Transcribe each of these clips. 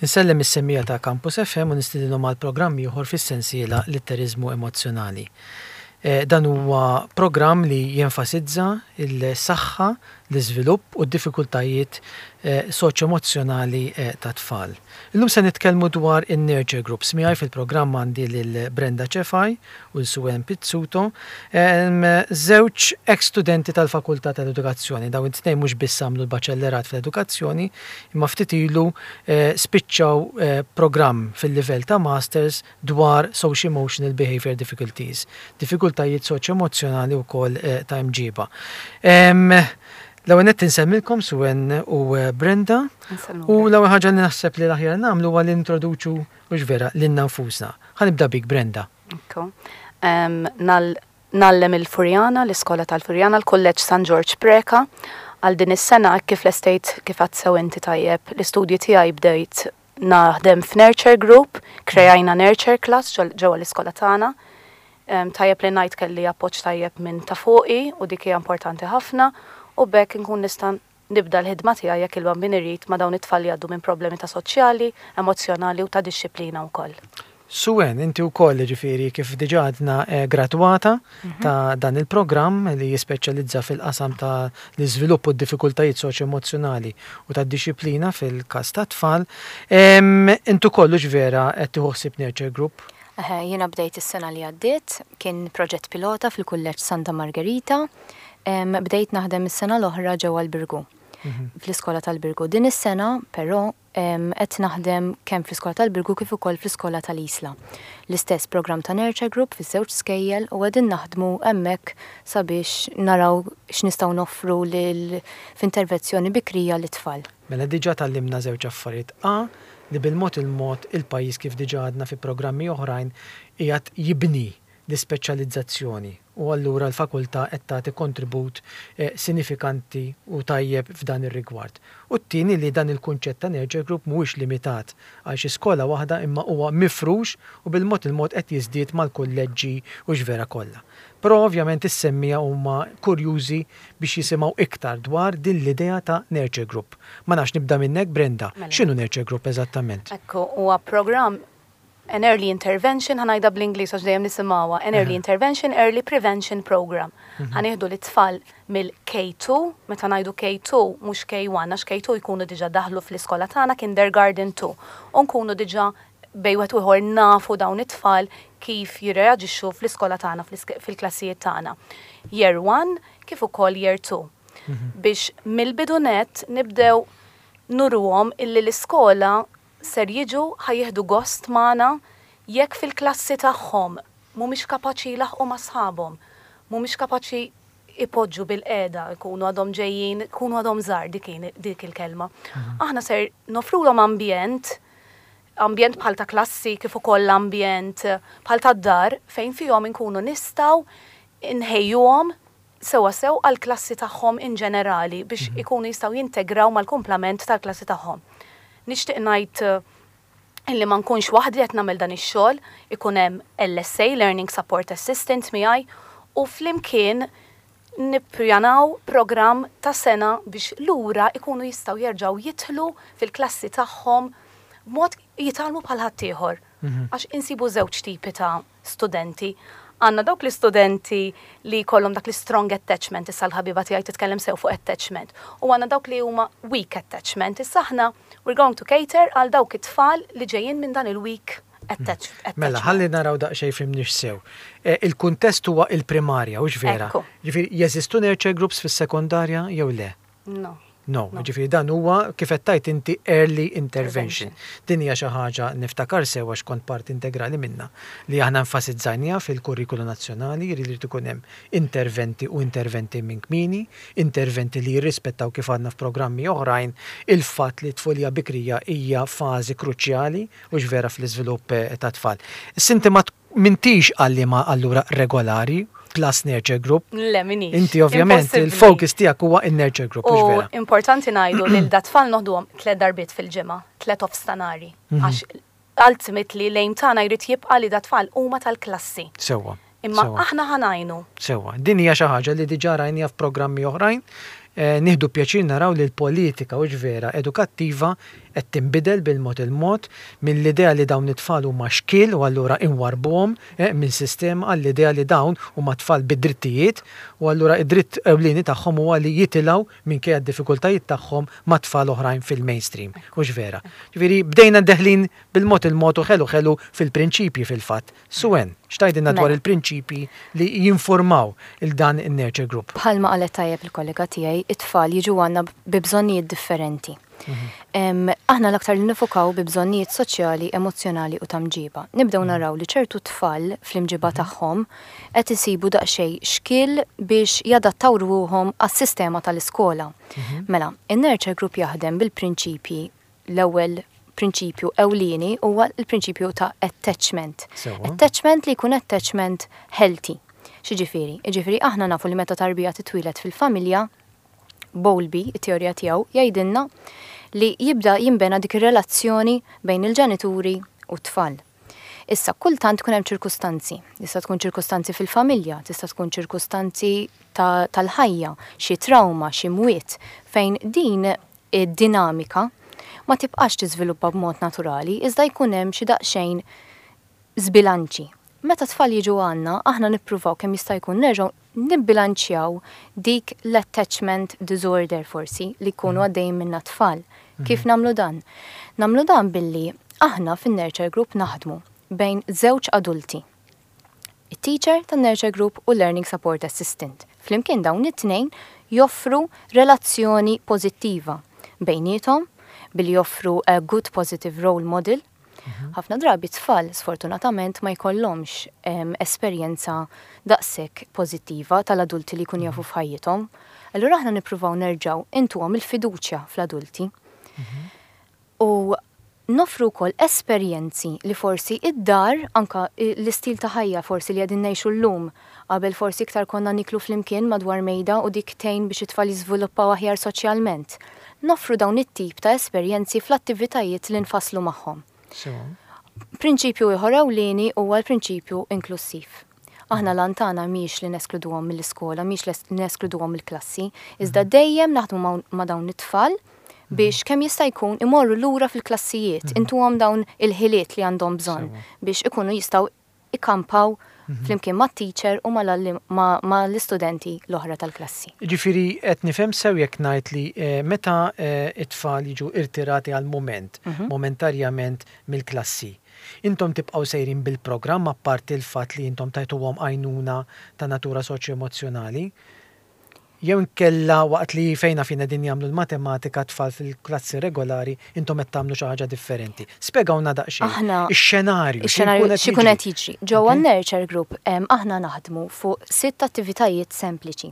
Insellem is-semmiegħa ta' Campus FM u nistedinhom għal programm ieħor fis-sensiela Litteriżmu Emozzjonali. Dan huwa programm li jenfasizza l-saħħa, l-iżvilupp u d-diffikultajiet soċjoemozzjonali tat-tfal. Illum se nitkellmu dwar in-nurture groups. Miegħi fil-programm għandi lil Brenda Cefai u l Suen Pizzuto, żewġ eks studenti tal-Fakultà tal-Edukazzjoni. Dawn it-tnejn mhux biss għamlu l-Baċellerat fl-Edukazzjoni, imma ftit ilu spiċċaw programm fil-livell ta' Masters dwar Socio-Emotional Behaviour Difficulties, diffikultajiet soċjo-emozzjonali wkoll ta' imġiba. L-ewwel nett insellmilkom Suen u Brenda. U l-ewwel ħaġa li naħseb li l-aħjar nagħmlu huwa li nintroduċu hux vera lilna nfusna. Ħa nibda bik Brenda. Ekku. Ngħallem il-Furjana, l-iskola tal-Furjana, l-Kulleġġ San Ġorġ Preca. Għal din is-sena hekk kif lestejt kif għedt sew inti tajjeb l-istudji tiegħi bdejt naħdem f'Nurture Group, kreajna Nurture Class ġewwa l-iskola tagħna. Tajjeb li ngħid kelli appoġġ tajjeb minn ta' fuqi u dik hija importanti ħafna u b'hekk inkun nista' nibda l-ħidma tiegħi jekk il-Bambin irid ma' dawn it-tfal li jgħaddu minn problemi ta' soċjali, emozzjonali u ta' dixxiplina wkoll. Suen, inti wkoll jiġifieri kif diġà għadna gradwata ta' dan il-programm li jispeċjalizza fil-qasam ta' l-iżvilupp u d-diffikultajiet soċjo-emozzjonali u tad-dixxiplina fil-każ tat-tfal. Int ukoll hux vera qed tieħu ħsieb Nurture Group? Eħe, jiena bdejt is-sena li għaddiet, kien proġett pilota fil-Kulleġġ Santa Margherita. Bdejt naħdem is-sena l-oħra ġewwa l-Birgu, fl-iskola tal-Birgu. Din is-sena, però, qed naħdem kemm fl-iskola tal-Birgu kif ukoll fl-iskola tal-Isla. L-istess programm ta' Nurture Group fiż-żewġ skejjel u qegħdin naħdmu hemmhekk sabiex naraw x'nistgħu noffru lil f'intervezzjoni bikrija lit-tfal. Mela diġà tgħallimna żewġ affarijiet. A, li bil-mod il-mod il-pajjiż kif diġà għadna fi programmi oħrajn qiegħed jibni l-ispeċjalizzazzjoni u allura l-fakultà qed tagħti kontribut sinifikanti u tajjeb f'dan ir-rigward. U t-tieni li dan il-kunċett ta' nurture group mhuwiex limitat għal xi skola waħda imma huwa mifrux u bil-mod il-mod qed jiżdied mal-kulleġġi u x'vera kollha. Però ovvjament is-semmiegħa huma kurjużi biex jisimgħu iktar dwar din l-idea ta' nurture group. Ma nafx nibda minnek Brenda, x'inhu nurture group eżattament? Ekku, huwa programm an early intervention, ħa ngħidha bl-Ingliż għax dejjem nisimgħuha, an early intervention, early prevention program. Ħa nieħdu lit-tfal mill-K2, meta ngħidu K2 mhux K1 għax K2 jkunu diġà daħlu fl-iskola tagħna kindergarten 2 u nkunu diġà bejn wieħed u ieħor nafu dawn it-tfal kif jirreaġixxu fl-iskola tagħna, fil-klassijiet tagħna. Year 1 kif ukoll year 2. Biex mill-bidu nett nibdew nuruhom illi l-iskola ser jiġu ħa jieħdu gost magħna jekk fil-klassi tagħhom mhumiex kapaċi jlaħħqu ma' sħabhom, mhumiex kapaċi jpoġġu bilqiegħda, jkunu għadhom ġejjin, jkunu għadhom żgħar dik dik il-kelma. Aħna ser noffrulhom ambjent, ambjent bħal ta' klassi kif ukoll ambjent bħal tad-dar fejn fihom inkunu nistgħu nħejjuhom sewwasew għall-klassi tagħhom in ġenerali biex ikunu jistgħu jintegraw mal-kumplament tal-klassi tagħhom. Nixtieq ngħid illi ma nkunx waħdi qed nagħmel dan ix-xogħol, ikun hemm LSA, Learning Support Assistant miegħi u flimkien nippjanaw programm ta' sena biex lura ikunu jistgħu jerġgħu jidħlu fil-klassi tagħhom b'mod jitgħallmu bħal ħaddieħor. Għax insibu żewġ tipi ta' studenti. Għandna dawk l-istudenti li jkollhom dak l-strong attachment, issa l-ħabiba tiegħi titkellem sew fuq attachment, u għandna dawk li huma weak attachment. Issa aħna we're going to cater għal dawk it-tfal li ġejjin minn dan il-weak attachment. Mela, ħalli naraw daqsxejn fhimniex sew. Il-kuntest huwa il-primarja, hux vera? Ġifieri jeżistu nurture groups fis-sekondarja jew le? No. No, ġifieri dan huwa kif qed tgħid inti early intervention. Din hija xi ħaġa niftakar sew għax kont parti integrali minnha li aħna enfasizzajniha fil-kurrikulu nazzjonali, jiġifieri jrid ikun hemm interventi u interventi minn kmieni, interventi li jirrispettaw kif għadna f'programmi oħrajn il-fatt li t-tfulija bikrija hija fażi kruċjali hux vera fl-iżvilupp tat-tfal. Issa inti ma M'intix għalliema allura regolari plus nurture group? Le, m'iniex. Inti ovvjament il-focus tiegħek huwa in-nurture group, hux vera? U importanti ngħidu lil dat-tfal noħduhom tlett darbiet fil-ġimgħa, tlett offstanari. Għax ultimately l-aim tagħna jrid jibqa' li dat-tfal huma tal-klassi. Sewwa. Imma aħna ħa ngħinu. Sewwa. Din hija xi ħaġa li diġà rajniha f'programmi oħrajn. Nieħdu pjaċir naraw li l-politika, hux vera, edukattiva qed tinbidel bil-mod il-mod mill-idea li dawn it-tfal huma xkiel u allura inwarrbuhom minn sistema għall-idea li dawn huma tfal bi drittijiet u allura id-dritt ewlieni tagħhom huwa li jitilgħu minkejja d-diffikultajiet tagħhom ma' tfal oħrajn fil-mainstream. Hux vera? Ġifieri bdejna deħlin bil-mod il-mod u ħelu ħelu fil-prinċipji fil-fatt. Suen, x'tgħidilna dwar Mela. il-prinċipji li jinformaw 'il dan in-nurture group? Bħalma qalet tajjeb il-kollega tiegħi, it-tfal jiġu għandna bi bżonnijiet differenti. Aħna l-aktar li nifukaw bi bżonnijiet soċjali, emozzjonali u ta' mġiba. Nibdew naraw li ċertu tfal fl-imġiba tagħhom qed isibu daqsxejn xkiel biex jadattaw ruħhom għas-sistema tal-iskola. Mela, in-nurture group jaħdem bil-prinċipji l-ewwel prinċipju ewlieni huwa l-prinċipju ta' attachment. Attachment li jkun attachment healthy. X'jiġifieri? Jiġifieri aħna nafu li meta tarbija titwieled fil-familja, Bowlby, it-teorija tiegħu, jgħidilna li jibda jinbena dik ir-relazzjoni bejn il-ġenituri u t-tfal. Issa, kultant tkun hemm ċirkustanzi. Tista' tkun ċirkustanzi fil-familja, tista' tkun ċirkustanzi tal-ħajja, xi trauma, xi mwiet, fejn din id-dinamika ma tibqax tiżviluppa b'mod naturali, iżda jkun hemm xi daqsxejn żbilanċi. Meta tfal jiġu għandna, aħna nippruvaw kemm jista' jkun nerġgħu nibbilanċjaw dik l-attachment disorder forsi li jkunu għaddejjin minnha t-tfal. Kif nagħmlu dan? Nagħmlu dan billi aħna fin-nurture group naħdmu bejn żewġ adulti. It-teacher tan-nurture group u l-learning support assistant. Flimkien dawn it-tnejn joffru relazzjoni pożittiva bejniethom billi joffru a good positive role model. Ħafna drabi tfal sfortunatament ma jkollhomx esperjenza daqshekk pożittiva tal-adulti li jkunu jafu f'ħajjithom. Allura aħna nippruvaw nerġgħu intuhom il-fiduċja fl-adulti. U noffru wkoll esperjenzi li forsi id-dar, anka l-istil ta' ħajja forsi li qegħdin ngħixu llum, qabel forsi iktar konna niklu flimkien madwar mejda u dik tgħin biex it-tfal jiżviluppaw aħjar soċjalment. Noffru dawn it-tip ta' esperjenzi fl-attivitajiet li nfasslu magħhom. Prinċipju ieħor ewlieni huwa l-prinċipju inklussiv. Aħna l-għan tagħna mhijiex li neskluduhom mill-iskola, mhijiex li neskluduhom mill-klassi, iżda dejjem naħdmu ma' dawn it-tfal biex kemm jista' jkun imorru lura fil-klassijiet, intuhom dawn il-ħiliet li għandhom bżonn biex ikunu jistgħu ikampaw flimkien mat-teacher u mal-istudenti l-oħra tal-klassi. Ġifieri qed nifhem sew jekk ngħid li meta it-tfal jiġu irtirati għal mument, momentarjament mill-klassi, intom tibqgħu sejrin bil-programm apparti l-fatt li intom tajtuhom għajnuna ta' natura soċjo-emozzjonali? Jew inkella waqt li fejna fin qegħdin jagħmlu l-matematika tfal fil-klassi regolari intom qed tagħmlu xi ħaġa differenti. Spjegawna daqsxejn. Aħna Ix-xenarju. Ix-xenarju x'ikun qed jiġri. Ġewwa nurture group aħna naħdmu fuq sitt attivitajiet sempliċi.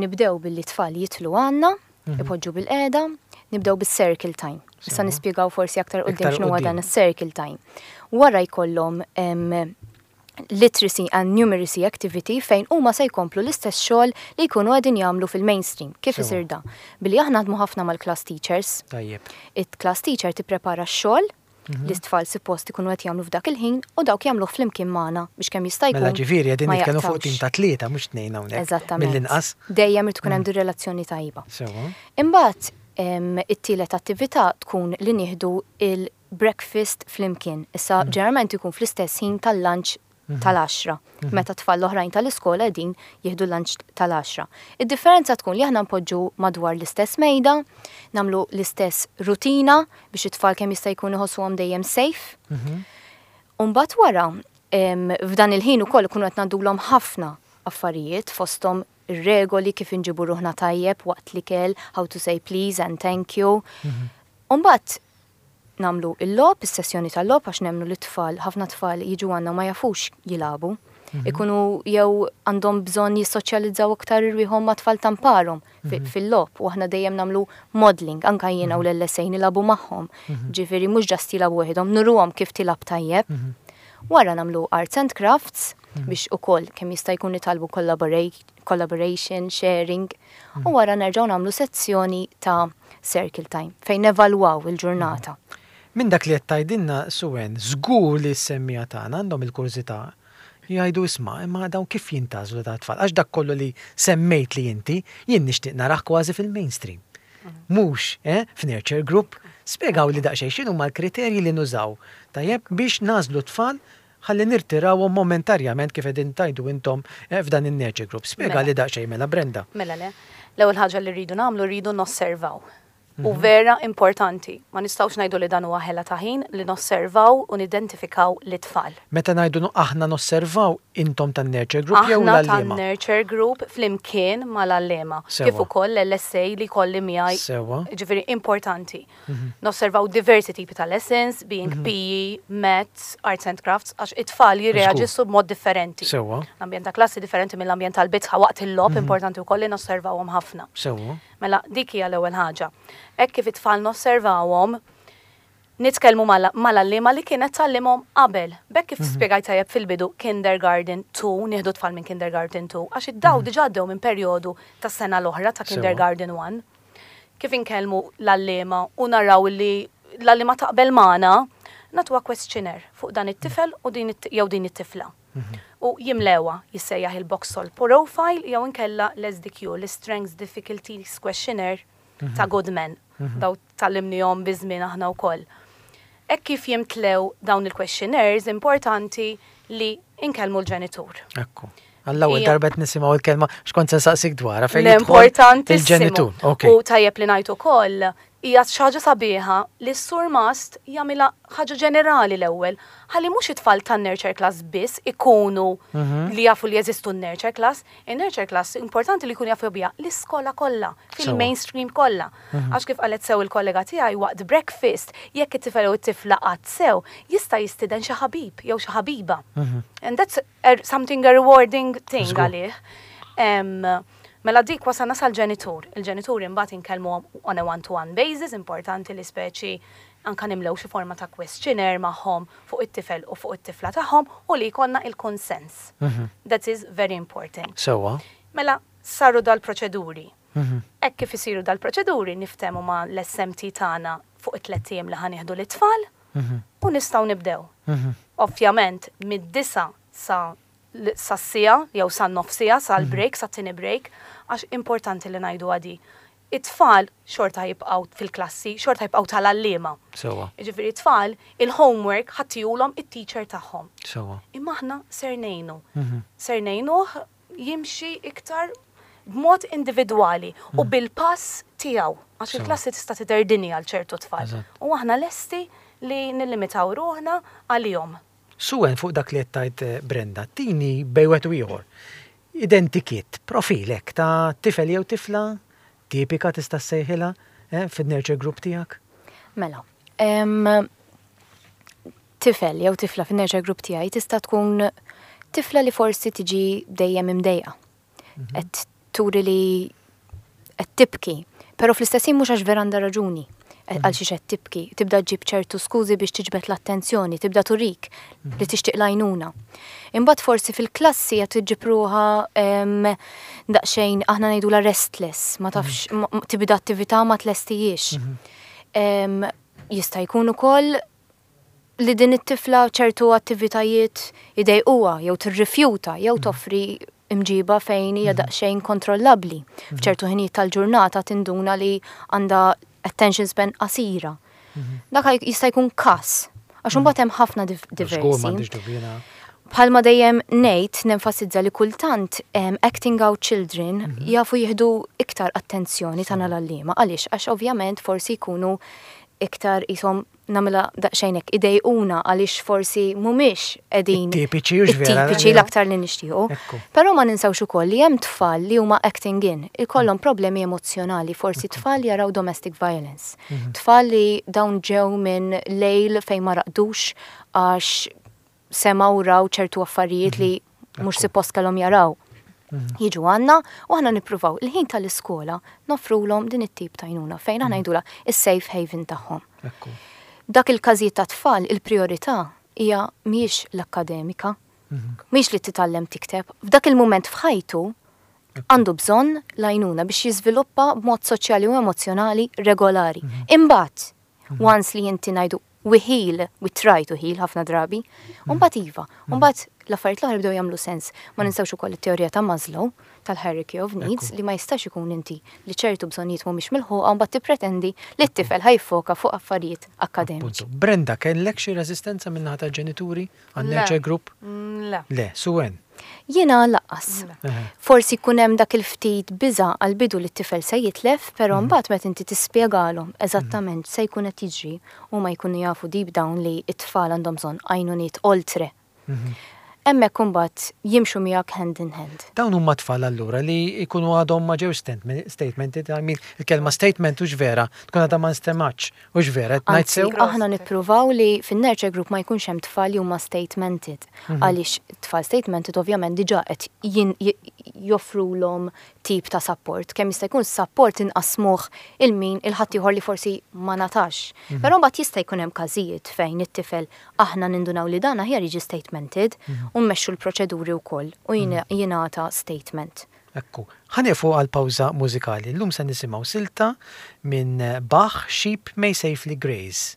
Nibdew billi tfal jidħlu għandna, ipoġġu bil-qiegħda, nibdew bis-circle time. Issa nispjegaw forsi aktar quddiem x'inhu dan is-circle time. Wara jkollhom literacy and numeracy activity fejn huma se jkomplu l-istess xogħol li jkunu qegħdin jagħmlu fil-mainstream. Kif isir da? Billi aħna naħdmu ħafna mal-class teachers. It-class teacher tipprepara x-xogħol li t-tfal suppost ikunu qed jagħmlu f'dak il-ħin u dawk jagħmluh flimkien magħna biex kemm jista' jkun. Mela ġifieri qegħdin nitkellmu fuq tim ta' tlieta mhux tnejn hawnhekk. Eżattament. Mill-inqas. Dejjem irid tkun hemm din relazzjoni tajba. Imbagħad it-tielet attività tkun li nieħdu il-breakfast flimkien. Issa ġeneralment ikun fl-istess ħin tal-lunch tal-10, meta tfal l-oħrajn tal-iskola qegħdin jieħdu lunch tal-10. Id-differenza tkun li aħna npoġġu madwar l-istess mejda, nagħmlu l-istess rutina biex it-tfal kemm jista' jkun iħossuhom dejjem safe. U mbagħad wara, f'dan il-ħin ukoll ikunu qed ngħaddulhom ħafna affarijiet fosthom ir-regoli kif inġibu ruħna tajjeb waqt l-ikel, how to say please and thank you. U mbagħad nagħmlu il-logħob, is-sessjoni tal-logħob għax nemmnu li tfal, ħafna tfal jiġu għandna ma jafux jilagħbu. Ikunu jew għandhom bżonn jissoċjalizzaw aktar irwieħhom ma' tfal tamparhom fil-logħob u aħna dejjem nagħmlu modeling, anka jiena u l-LSA nilagħbu magħhom. Ġifieri mhux just jilagħbu waħedhom, nuruhom kif tilgħab tajjeb. Wara nagħmlu arts and crafts biex ukoll kemm jista' jkun nitgħallmu collaboration, sharing, u wara nerġgħu nagħmlu sezzjoni ta' circle time fejn nevalwaw il-ġurnata. Minn dak li qed tgħidilna Suen, żgur li s-semmiegħa tagħna għandhom il-kurżità jgħidu isma' imma dawn kif jintgħażlu ta' tfal għax dak kollu li semmejt li inti jien nixtieq narah kważi fil-mainstream. Mhux, f'nurture group. Spjegawli daqsxejn x'inhuma l-kriterji li nużaw, tajjeb, biex nagħżlu t-tfal ħalli nirtirawhom momentarjament kif qegħdin tgħidu intom f'dan in-nurture group. Spjegali daqsxejn mela Brenda. Mela le. L-ewwel ħaġa li rridu nagħmlu rridu nosservaw. U vera importanti, ma nistgħux ngħidu li dan huwa ħela ta' ħin li nosservaw u nidentifikaw lit-tfal. Meta ngħidu aħna nosservaw, intom tan-nurture group jew Aħna l-għalliema? tan-nurture group flimkien mal-għalliema. Sewwa. Kif ukoll l-LSA li jkolli miegħi. Sewwa. Jiġifieri importanti. Nosservaw diversi tipi ta' lessons, being PE, Maths, Arts and Crafts, għax it-tfal jirreaġixxu b'mod differenti. Sewwa. L-ambjent ta' klassi differenti mill-ambjent tal-bitħa waqt il-logħob, importanti wkoll li nosservawhom ħafna. Sewwa. Mela, dik hija l-ewwel ħaġa. Hekk kif it-tfal nosservawhom, nitkellmu mal-għalliema li kienet tgħallimhom qabel. B'hekk kif spjegajt tajjeb fil-bidu, kindergarten 2, nieħdu tfal minn kindergarten 2, għax id-daw diġà għaddew minn perjodu tas-sena l-oħra ta' kindergarten 1. Kif inkellmu l-għalliema u naraw li l-għalliema taqbel magħna, nagħtuha questionnaire fuq dan it-tifel u din jew din it-tifla. U jimlewha, jissejjaħ il-Boxall Profile jew inkella l-SDQ, l-Strengths Difficulties Questionnaire ta' Goodman. Daw tgħallimnihom biż-żmien aħna wkoll. Hekk kif jimtlew dawn il-questionnaires, importanti li inkellmu l-ġenitur. Ekku. Għall-ewwel darba qed nisimgħu l-kelma x'kont se nsaqsik dwarha fejn L-importantissimu. Il-ġenitur. Ok. U tajjeb li ngħid ukoll hija xi ħaġa sabiħa li s-surmast jagħmilha ħaġa ġenerali l-ewwel, ħalli mhux it-tfal tan-nurture class biss ikunu li jafu li jeżistu n-nurture class, in-nurture class importanti li jkunu jafu biha l-iskola kollha, fil-mainstream kollha. Għax kif qalet sew il-kollega tiegħi waqt breakfast, jekk it-tifel u t-tifla qatt sew, jista' jistieden xi ħabib jew xi ħabiba. And that's something a rewarding thing għalih. Mela dik wasalna sal-ġenitur. Il-ġenituri mbagħad inkellmuhom on a one-to-one basis, importanti li speċi anka nimlew xi forma ta' questionnaire magħhom fuq it-tifel u fuq it-tifla tagħhom u li jkollna il-konsens. That is very important. Sewwa. Mela saru dal-proċeduri. Hekk kif isiru dal-proċeduri niftehmu ma' l-SMT tagħna fuq it-tlett ijiem li ħa nieħdu lit-tfal u nistgħu nibdew. Ovvjament mid-disa sa sas-siegħa jew san-nofs siegħa, sal-break, sat-tieni break, għax importanti li ngħidu għadi. It-tfal xorta jibqgħu fil-klassi, xorta jibqgħu tal-għalliema. Sewwa. Jiġifieri t-tfal il-homework ħa ttihulhom it-teacher tagħhom. Sewwa. Imma aħna ser ngħinu. Ser ngħinuh jimxi iktar b'mod individwali u bil-pass tiegħu. Għax il-klassi tista' tidher dinja għal ċertu tfal. U aħna lesti li nillimitaw ruħna għalihom. Suen fuq dak li qed tgħid Brenda, tini bejn wieħed u ieħor. Identikit, profilek ta' tifel jew tifla tipika tista' ssejħilha fin-nurture group tiegħek? Mela, tifel jew tifla fin-nurture group tiegħi tista' tkun tifla li forsi tiġi dejjem imdejqa. Qed turi li qed tibki, però fl-istess ħin mhux għax vera għandha raġuni għal xiex qed tibki, tibda ġġib ċertu skużi biex tiġbed l-attenzjoni, tibda turik li tixtieq l-għajnuna. Imbagħad forsi fil-klassi qed iġġib ruħha daqsxejn aħna ngħidulha restless, ma tafx tibda attività ma tlestijiex. Jista' jkun ukoll li din it-tifla ċertu attivitajiet idejquha jew tirrifjuta jew toffri imġiba fejn hija daqsxejn kontrollabbli. F'ċertu ħinijiet tal-ġurnata tinduna li għandha attention span qasira. Dak jista' jkun każ, għax imbagħad hemm ħafna Żgur, diversi. m'għandix dubju jiena. Bħalma dejjem ngħid nenfasizza li kultant acting out children jafu jieħdu iktar attenzjoni tagħna l-għalliema. Għaliex? Għax ovvjament forsi jkunu iktar ishom nagħmilha daqsxejn hekk idejquna għaliex forsi mhumiex qegħdin It-tipiċi hux vera, it-tipiċi l-aktar li nixtiequ. Però ma ninsawx ukoll li hemm tfal li huma acting in, ikollhom problemi emozzjonali, forsi tfal jaraw domestic violence. Tfal li dawn ġew minn lejl fejn ma raqdux għax semgħu raw ċertu affarijiet li mhux suppost kellhom jaraw. Jiġu għandna u aħna nippruvaw il-ħin tal-iskola noffrulhom din it-tip ta' għajnuna fejn aħna ngħidulha is-safe haven tagħhom. Dak il-każijiet ta' tfal il-priorità hija mhijiex l-akkademika, mhijiex li titgħallem tikteb. F'dak il-mument f'ħajtu għandu bżonn l-għajnuna biex jiżviluppa b'mod soċjali u emozjonali regolari. Imbagħad, once li inti ngħidu we heal, we try to heal ħafna drabi, imbagħad iva, imbagħad. L-affarijiet l-oħra jibdew jagħmlu sens. Ma ninsewx ukoll it-teorija ta' Maslow tal-hierarchy of needs li ma jistax ikun inti li ċertu bżonnijiet mhumiex milħuqa u mbagħad tippretendi li t-tifel ħa jiffoka fuq affarijiet akkademiċi. Brenda, kellek xi reżistenza min-naħa tal-ġenituri għan-nurture group? Le. Le, Sue-Ann? Jiena lanqas. Forsi jkun hemm dak il-ftit biża' għall-bidu li t-tifel se jitlef, però mbagħad meta inti tispjegalhom eżattament x'se jkun qed jiġri, huma jkunu jafu deep down li t-tfal għandhom bżonn għajnuniet oltre. Hemmhekk imbagħad jimxu miegħek hand in hand. Dawn huma tfal allura li jkunu għadhom ma ġewx statemented, I mean il-kelma statement hux vera, tkun għadha ma nstemgħetx, hux vera, qed ngħid sew? Anzi, aħna nippruvaw li fin-nurture group ma jkunx hemm tfal li huma statemented. Għaliex tfal statemented ovvjament diġà qed joffrulhom tip ta' sapport. Kemm jista' jkun sapport inqassmuh il min il-ħaddieħor li forsi ma ngħatax. Però mbagħad jista' jkun hemm każijiet fejn it-tifel aħna nindunaw li dan aħjar jiġi statemented u mmexxu l-proċeduri wkoll u jingħata statement. Ekku. Ħa nieqfu għal pawża mużikali. Illum se nisimgħu silta minn Bach, Sheep May Safely Graze.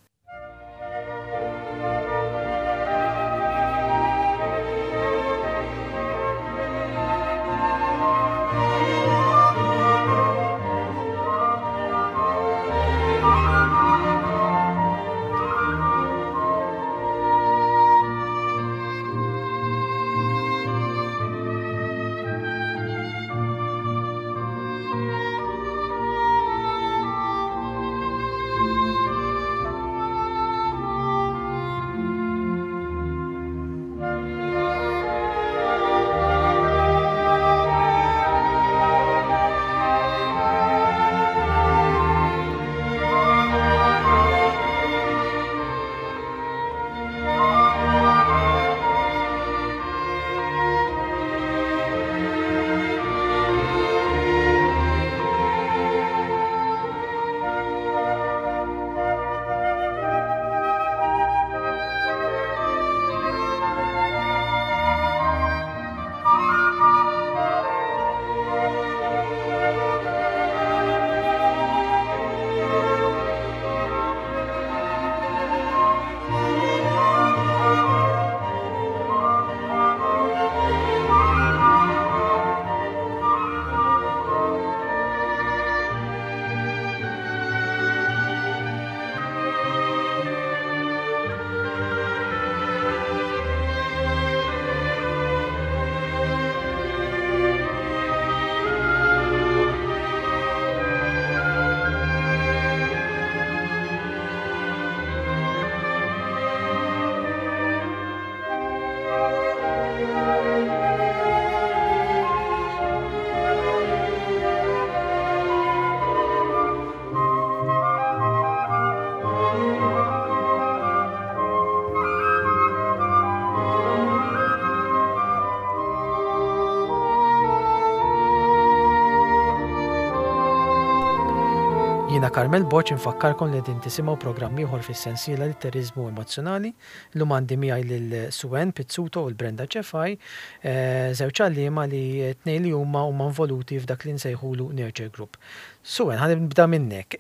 Jiena Carmel Borg infakkarkom li qegħdin tisimgħu programm ieħor fis-sensiela Litteriżmu Emozzjonali. Illum għandi miegħi lil Sue-Ann Pizzuto u l-Brenda Cefai, żewġ għalliema li t-tnejn li huma huma involuti f'dak li nsejħulu Nurture Group. Sue-Ann, ħa nibda minnek.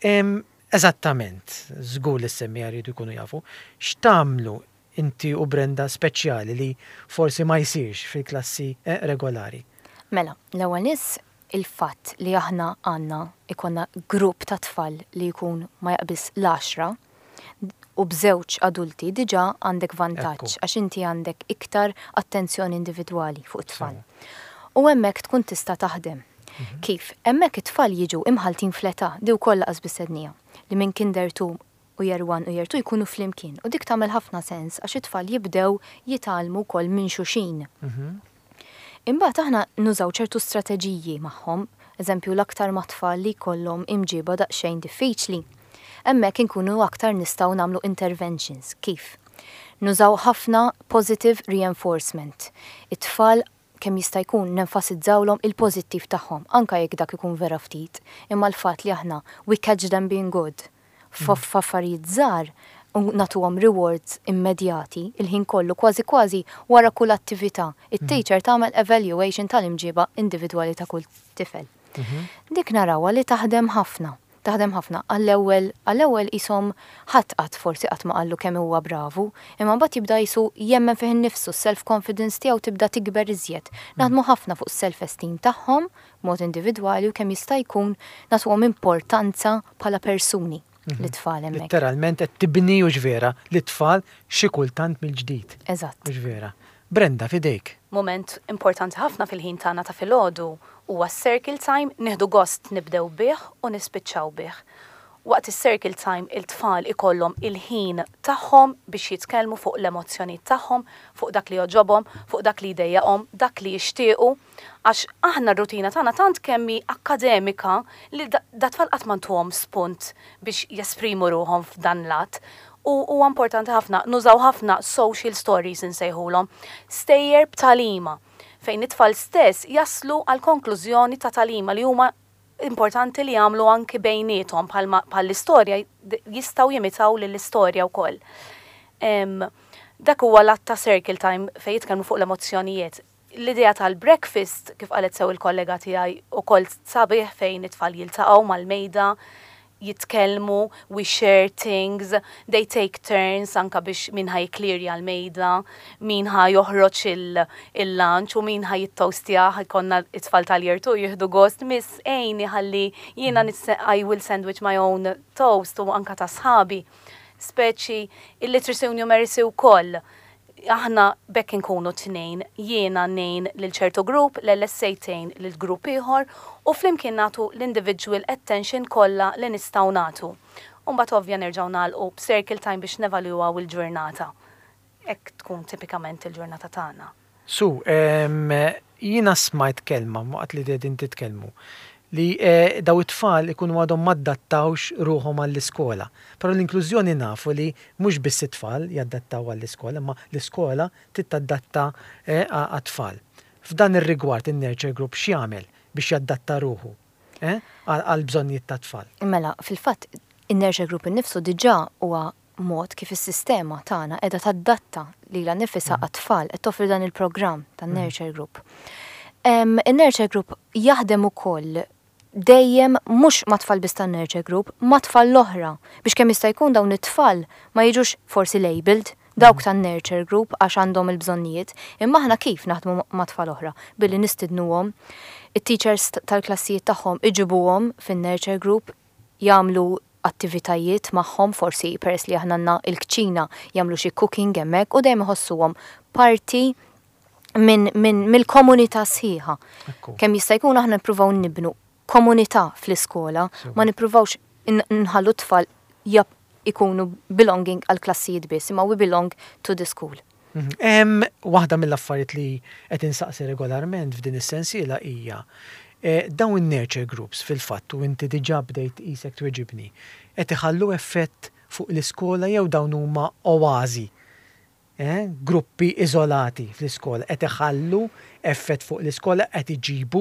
Eżattament, żgur li s-semmiegħa jridu jkunu jafu, x'tagħmlu inti u Brenda speċjali li forsi ma jsirx fil-klassi regolari? Mela, l-ewwel nies il-fatt li aħna għandna jkollna grupp ta' tfal li jkun ma jaqbiż l-għaxra u b'żewġ adulti diġà għandek vantaġġ għax inti għandek iktar attenzjoni individwali fuq it-tfal. U hemmhekk tkun tista' taħdem. Kif? Hemmhekk it-tfal jiġu imħalltin fl-età, di wkoll laqas biss għedniha, li minn kinder 2 u year 1 u year 2 jkunu flimkien u dik tagħmel ħafna sens għax it-tfal jibdew jitgħallmu wkoll minn xulxin. Imbagħad aħna nużaw ċertu strateġiji magħhom, eżempju l-aktar mat-tfal li jkollhom imġiba daqsxejn diffiċli. Hemmhekk inkunu aktar nistgħu nagħmlu interventions. Kif? Nużaw ħafna positive reinforcement. It-tfal kemm jista' jkun nenfasizzawlhom il-pożittiv tagħhom, anke jekk dak ikun vera ftit, imma l-fatt li aħna we catch them being good f'affarijiet żgħar u nagħtuhom rewards immedjati il-ħin kollu kważi kważi wara kull attività it-teacher tagħmel evaluation tal-imġiba individwali ta' kull tifel. Dik narawha li taħdem ħafna. Taħdem ħafna. Għall-ewwel, għall-ewwel qishom ħadd qatt forsi qatt ma qallu kemm huwa bravu, imma mbagħad jibda qisu jemmen fih innifsu, s-self confidence tiegħu tibda tikber iżjed. Naħdmu ħafna fuq is-self esteem tagħhom b'mod individwali u kemm jista' jkun nagħtuhom importanza bħala persuni lit-tfal hemmhekk. Litteralment qed tibni hux vera lit-tfal xi kultant mill-ġdid. Eżatt. Hux vera. Brenda, f'idejk. Mument importanti ħafna fil-ħin tagħna ta' filgħodu huwa s-circle time, nieħdu gost nibdew bih u nispiċċaw bih. Waqt is-circle time il-tfal ikollhom il-ħin tagħhom biex jitkellmu fuq l-emozzjonijiet tagħhom, fuq dak li jogħġobhom, fuq dak li jdejjaqhom, dak li jixtiequ. Għax aħna r-rutina tagħna tant kemm hi akkademika li dat-tfal qatt ma ntuhom spunt biex jesprimu ruħhom f'dan l-att. U huwa importanti ħafna, nużaw ħafna social stories insejħulhom, stejjer b'tagħlima, fejn it-tfal stess jaslu għal konklużjoni ta' tagħlima li huma importanti li jagħmlu anki bejniethom bħalma bħall-istorja jistgħu jimitaw lill-istorja wkoll. Dak huwa l-att ta' circle time fejn jitkellmu fuq l-emozzjonijiet. L-idea tal-breakfast, kif qalet sew il-kollega tiegħi, ukoll sabiħ fejn it-tfal jiltaqgħu mal-mejda, jitkellmu, we share things, they take turns anka biex min ħa jikklirja l-mejda, min ħa joħroġ il-lunch u min ħa jittoastjah, ikollna it-tfal tal-year 2 jieħdu gost, miss għini ħalli jiena I will sandwich my own toast u anka ta' sħabi. Speċi il-literacy u numeracy wkoll. Aħna bekk inkunu tnejn, jiena ngħin lil ċertu grupp, l-LSA tgħin lil grupp ieħor u flimkien nagħtu l-individual attention kollha li nistgħu nagħtu. U mbagħad ovvja nerġgħu nagħlqu b'circle time biex nevalwaw il-ġurnata. Hekk tkun tipikament il-ġurnata tagħna. Su, jiena smajt kelma waqt li qegħdin titkellmu li daw it-tfal ikunu għadhom m'adattawx ruħhom għall-iskola. Però l-inklużjoni nafu li mhux biss it-tfal jadattaw għall-iskola, imma l-iskola trid tadatta għat-tfal. F'dan ir-rigward in-Nurture Group x'jagħmel biex jadatta ruħu għall-bżonnijiet tat-tfal? Mela, fil-fatt, in-Nurture Group innifsu diġà huwa mod kif is-sistema tagħna qiegħda tadatta lilha nnifisha għat-tfal, qed toffri dan il-programm tan-Nurture Group. In-Nurture Group jaħdem ukoll dejjem mhux ma' tfal biss tan-Nurture Group, ma' tfal l-oħra, biex kemm jista' jkun dawn it-tfal ma jiġux forsi labelled dawk tan-Nurture Group għax għandhom il-bżonnijiet, imma aħna kif naħdmu ma' tfal oħra? Billi nistidnuhom, it-teachers tal-klassijiet tagħhom iġibuhom fin-Nurture Group, jagħmlu attivitajiet magħhom, forsi peress li aħna għandna il-kċina jagħmlu xi cooking hemmhekk u dejjem iħossuhom parti minn min, mill-komunità sħiħa. Kemm jista' jkun aħna nippruvaw nibnu komunità fl-iskola, ma nippruvawx nħallu tfal jab ikunu belonging għal klassijiet biss, imma we belong to the school. Waħda mill-affarijiet li qed insaqsi regolarment f'din is-sensiela hija dawn in-nurture groups fil-fatt, u inti diġà bdejt qisek tweġibni, qed iħallu effett fuq l-iskola jew dawn huma oażi, gruppi iżolati fl-iskola, qed iħallu effett fuq l-iskola, qed iġibu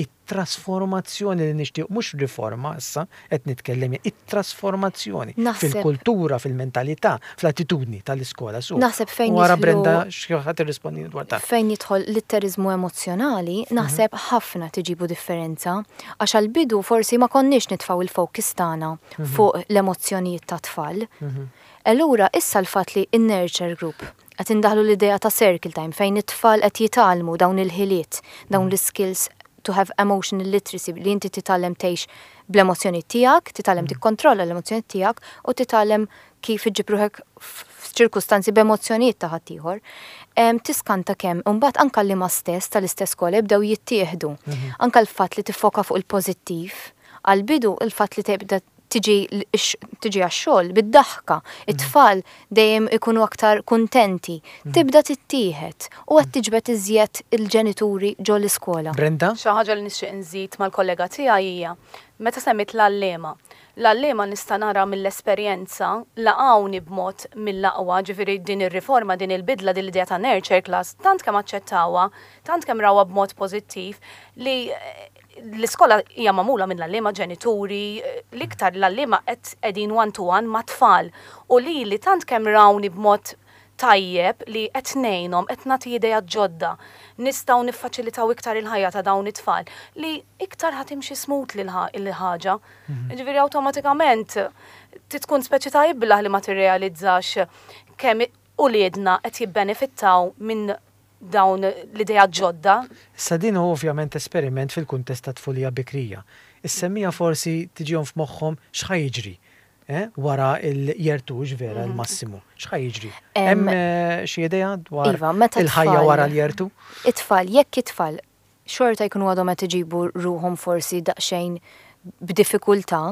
it-trasformazzjoni li nixtieq, mhux riforma issa qed nitkellem, it-trasformazzjoni fil-kultura, fil-mentalità, fl-attitudni tal-iskola. Su. Naħseb fejn Wara Brenda xi ħadd irrispondi dwar dan. Fejn jidħol litteriżmu emozzjonali, naħseb ħafna tiġibu differenza, għax għall-bidu forsi ma konniex nitfgħu il-focus tagħna fuq l-emozzjonijiet tat-tfal. Allura issa l-fatt li in-Nurture Group qed indaħlu l-idea ta' circle time fejn it-tfal qed jitgħallmu dawn il-ħiliet, dawn l-skills to have emotional literacy, li inti titgħallem tgħix bl-emozzjoni tiegħek, titgħallem tikkontrolla l-emozzjoni tiegħek u titgħallem kif iġġib ruħek f'ċirkustanzi b'emozzjonijiet ta' ħaddieħor. Tiskanta kemm imbagħad anke li ma stess tal-istess skola jibdew jittieħdu. Anke l-fatt li tiffoka fuq il-pożittiv, għal-bidu il-fatt li tibda tiġi għax-xogħol bid-daħka, it-tfal dejjem ikunu aktar kuntenti, tibda tittieħed u qed tiġbed iżjed il-ġenituri ġo l-iskola. Brenda? Xi ħaġa li nixtieq nżid mal-kollega tiegħi hija meta semmit l-għalliema. L-għalliema nista' nara mill-esperjenza laqgħuni b'mod mill-aqwa, ġifieri din ir-riforma, din il-bidla, din l-idea ta' nurture class, tant kemm aċċettawha, tant kemm rawha b'mod pożittiv li l-iskola hija magħmula minn l-għalliema, ġenituri, l-iktar l-għalliema qed qegħdin one to one ma' tfal u li li tant kemm rawni b'mod tajjeb li qed ngħinhom, qed nagħti ideat ġodda, nistgħu niffaċilitaw iktar il-ħajja ta' dawn it-tfal li iktar ħa timxi smoothly l-ħaġa. Ġifieri awtomatikament tkun speċi ta' iblah li ma tirrealizzax kemm uliedna qed jibbenefittaw minn dawn l-ideat ġodda. Issa din hu ovvjament esperiment fil-kuntest ta' tfulija bikrija. Is-semmiegħa forsi tiġihom f'moħħhom x'ħa jiġri eh, wara l-year 2 vera l-massimu. X'ħa jiġri? Hemm xi idea dwar Iva, meta il-ħajja tfal- wara l-year 2? It-tfal, jekk it-tfal xorta jkunu għadhom qed iġibu ruħhom forsi daqsxejn b'diffikultà,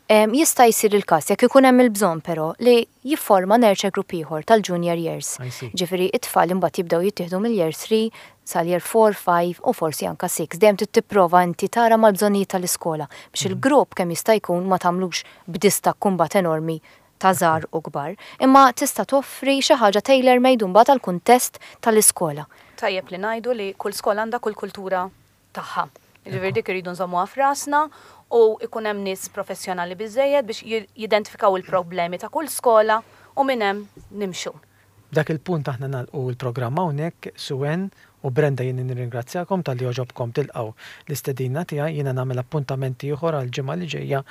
jista' jsir il-każ jekk ikun hemm il-bżonn però li jifforma nurture group ieħor tal-junior years. I see. Ġifieri it-tfal imbagħad jibdew jittieħdu mill-year 3 sal-year 4, 5 u forsi anka 6. Dejjem trid tipprova inti tara mal-bżonnijiet tal-iskola biex il-grupp kemm jista' jkun ma tagħmlux b'distakk kumbat enormi ta' żgħar u kbar, imma tista' toffri xi ħaġa tailor made mbagħad għall-kuntest tal-iskola. Tajjeb li ngħidu li kull skola għandha kull kultura tagħha. Ġifieri dik irridu nżommuha f'rasna u ikun hemm nies professjonali biżejjed biex jidentifikaw il-problemi ta' kull skola u minn hemm nimxu. Dak il-punt aħna nagħlqu l-programm hawnhekk. Suen u Brenda, jien nirringrazzjakom talli għoġobkom tilqgħu l-istedina tiegħi. Jiena nagħmel appuntament ieħor għal ġimgħa li ġejja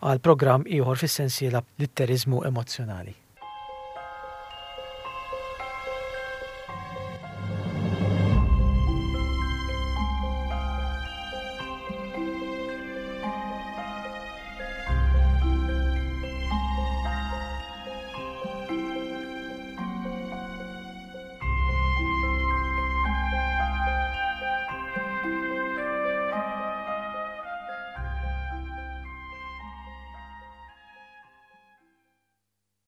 għal programm ieħor fis-sensiela Litteriżmu Emozzjonali.